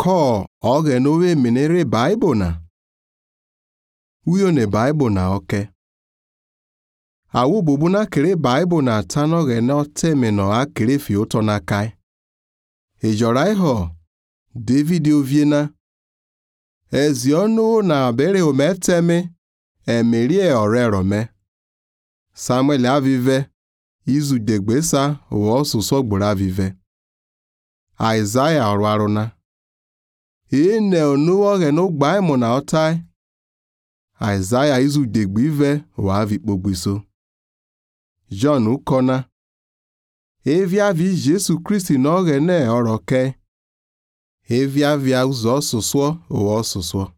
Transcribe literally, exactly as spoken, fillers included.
ko oge nowe menere Bible na. Uyo ne Bible na oke. Awu bubu na kere Bible na tano ge no teme no akere fi oto na kai. Ejora iho David oviena. Ezionu na bere ometeme emerie orero me. Samuel avive izu degbesa wo suso gbura vive. Isaiah orwaruna. Ine onuwo ge no gba imo na otai. Isaiah izu degbive wa avi pogbiso. John ukona. Evia vi Jesu Christi no ge ne oroke. Evia via uzo suswo wo suswo.